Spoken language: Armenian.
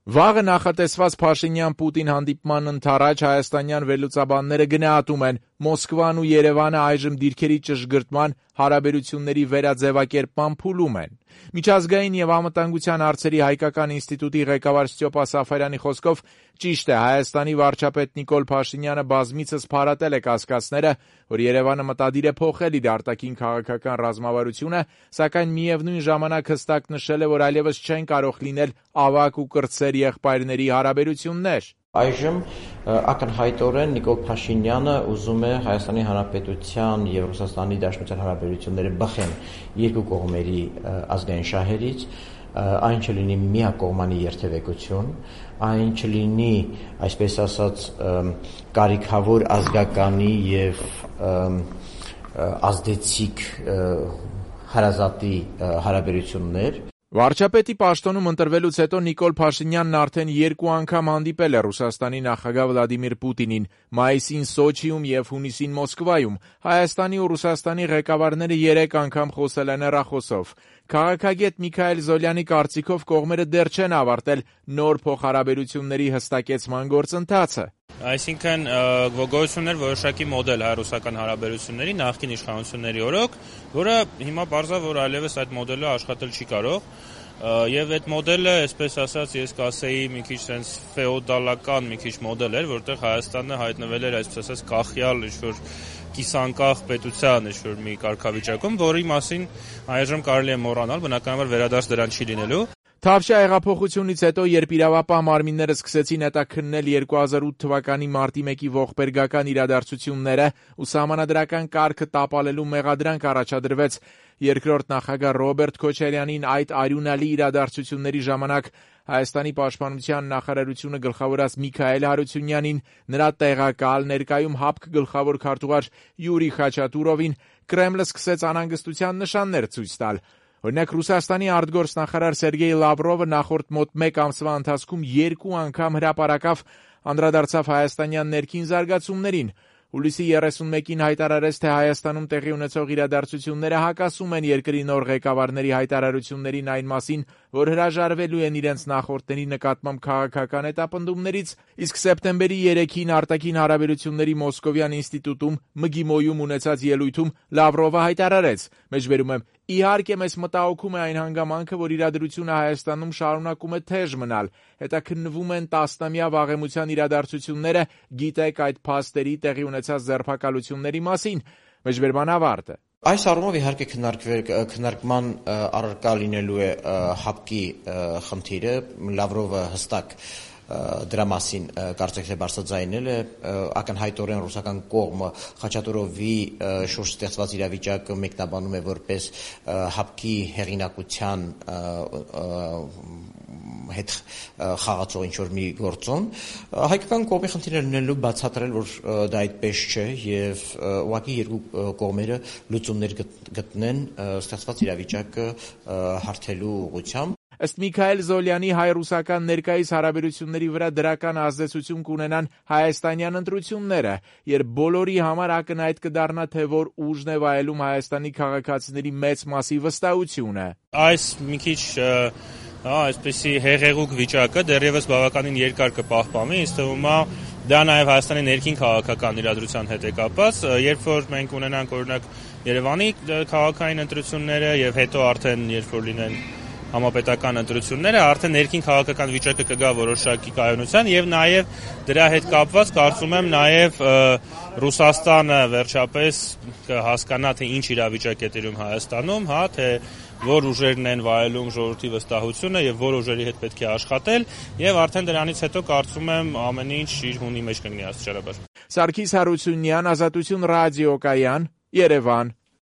Վաղը նախատեսված Փաշինյան-Պուտին հանդիպման ընդառաջ հայաստանյան վերլուծաբանները գնահատում են Մոսկվան ու Երևանը այժմ դիրքերի ճշգրտման, հարաբերությունների վերաձևակերպման փուլում են։ Միջազգային եւ անվտանգության հարցերի հայկական ինստիտուտի ղեկավար Ստյոպա Սաֆարյանի խոսքով ճիշտ է, Հայաստանի վարչապետ Նիկոլ Փաշինյանը բազմիցս փարատել է կասկածները, որ Երևանը մտադիր է փոխել իր արտաքին քաղաքական ռազմավարությունը, սակայն միևնույն ժամանակ հստակ նշել է, որ այլևս չեն կարող լինել ավագ ու կրտսեր եղբայրների հարաբերություններ։ Այժմ ակնհայտորեն Նիկոլ Փաշինյանը ուզում է Հայաստանի Հանրապետության եւ Ռուսաստանի Դաշնության հարաբերությունները բխեն երկու կողմերի ազգային շահերից, այն չլինի միակողմանի երթևեկություն, այն չլինի, այսպես ասած, կարիքավոր ազգականի եւ ազդեցիկ հարազատի հարաբերություններ։ Վարչապետի պաշտոնում ընտրվելուց հետո Նիկոլ Փաշինյանն արդեն 2 անգամ հանդիպել է Ռուսաստանի նախագահ Վլադիմիր Պուտինին, մայիսին Սոչիում եւ հունիսին Մոսկվայում։ Հայաստանի ու Ռուսաստանի ղեկավարները 3 անգամ խոսել են հեռախոսով։ Քաղաքագետ Միքայել Զոլյանի կարծիքով կողմերը դեռ չեն ավարտել նոր փոխհարաբերությունների հստակեցման գործընթացը։ Այսինքն գոյություններ որոշակի մոդել հայ-ռուսական հարաբերությունների նախկին իշխանությունների օրոք, որը հիմա պարզա, որ այլևս այդ մոդելը աշխատել չի կարող, եւ այդ մոդելը, այսպես ասած, ես կասեի մի քիչ sense ֆեոդալական մի քիչ մոդել էր, որտեղ Հայաստանը հայտնվել էր, այսպես ասած, կախյալ ինչ-որ կիսանկախ պետության ինչ-որ մի կարգավիճակում, որի մասին այժմ կարելի է մոռանալ, բնականաբար վերադարձ դրան չի լինելու։ Թավշյա հեղափոխությունից հետո, երբ իրավապահ մարմինները սկսեցին հետաքննել 2008 թվականի մարտի 1-ի ողբերգական իրադարձությունները ու սահմանադրական կարգը տապալելու մեղադրանք առաջադրվեց երկրորդ նախագահ Ռոբերտ Քոչարյանին այդ արյունալի իրադարձությունների ժամանակ Հայաստանի պաշտպանության նախարարությունը գլխավորած Միքայել Հարությունյանին, նրա տեղակալ, ներկայում ՀԱՊԿ գլխավոր քարտուղար Յուրի Խաչատուրովին, Կրեմլը սկսեց անհանգստության նշաններ ցույց տալ։ Օրինակ, Ռուսաստանի արտգործնախարար Սերգեյ Լավրովը նախորդ մոտ 1 ամսվա ընթացքում 2 անգամ հրապարակավ անդրադարձավ հայաստանյան ներքին զարգացումներին։ Հուլիսի 31-ին հայտարարեց, թե Հայաստանում տեղի ունեցող իրադարձությունները հակասում են երկրի նոր ղեկավարների հայտարարություններին այն մասին, որ հրաժարվելու են իրենց նախորդների նկատմամբ քաղաքական հետապնդումներից, իսկ սեպտեմբերի 3-ին արտաքին հարաբերությունների Մոսկովյան ինստիտուտում ՄԳԻՄՈ-ում ունեցած ելույթում Լավրովը հայտարարեց. «Մեջբերում եմ, իհարկե մեզ մտահոգում է այն հանգամանքը, որ իրադրությունը Հայաստանում շարունակում է թեժ մնալ, հետաքննվում են տասնամյա վաղեմության իրադարձությունները, գիտեք այդ փաստերի տեղի ունեցած ձերբակալությունների մասին»։ Մեջբերման ավարտը։ Այս առումով իհարկե քննարկման առարկա լինելու է ՀԱՊԿ-ի խնդիրը, Լավրովը հստակ դրա մասին կարծիքներ բարձրաձայնել է, ակնհայտորեն ռուսական կողմը Խաչատուրովի շուրջ ստեղծված իրավիճակը մեկնաբանում է որպես ՀԱՊԿ-ի հեղինակության հետ խաղացող ինչ-որ մի գործոն, հայկական կողմի խնդիրը լինելու բացատրել, որ դա այդպես չէ եւ ուղղակի երկու կողմերը լուծումներ գտնեն ստեղծված իրավիճակը հարթելու ուղղությամբ։ Ըստ Միքայել Զոլյանի, հայ-ռուսական ներկայիս հարաբերությունների վրա դրական ազդեցություն կունենան հայաստանյան ընտրությունները, երբ բոլորի համար ակնհայտ կդառնա, թե որ ուժն է վայելում Հայաստանի քաղաքացիների մեծ մասի վստահությունը։ Այս մի քիչ այսպեսի հեղեղուկ վիճակը դեռևս բավականին երկար կպահպանի, ինձ թվում է դա նաև Հայաստանի ներքին քաղաքական իրադրության հետ է կապված, երբ որ մենք ունենանք օրինակ Երևանի քաղաքային ընտրությունները եւ հետո արդեն երբ որ լինեն համապետական ընտրությունները, արդեն ներքին քաղաքական վիճակը կգա որոշակի կայունության եւ նաեւ դրա հետ կապված կարծում եմ նաեւ Ռուսաստանը վերջապես կհասկանա, թե ինչ իրավիճակ է տիրում Հայաստանում, թե որ ուժերն են վայելում ժողովրդի վստահությունը եւ որ ուժերի հետ պետք է աշխատել եւ արդեն դրանից հետո կարծում եմ ամեն ինչ իր հունի մեջ կգնի աստիճանաբար։ Սարգիս Հարությունյան, Ազատություն ռադիոկայան, Երևան։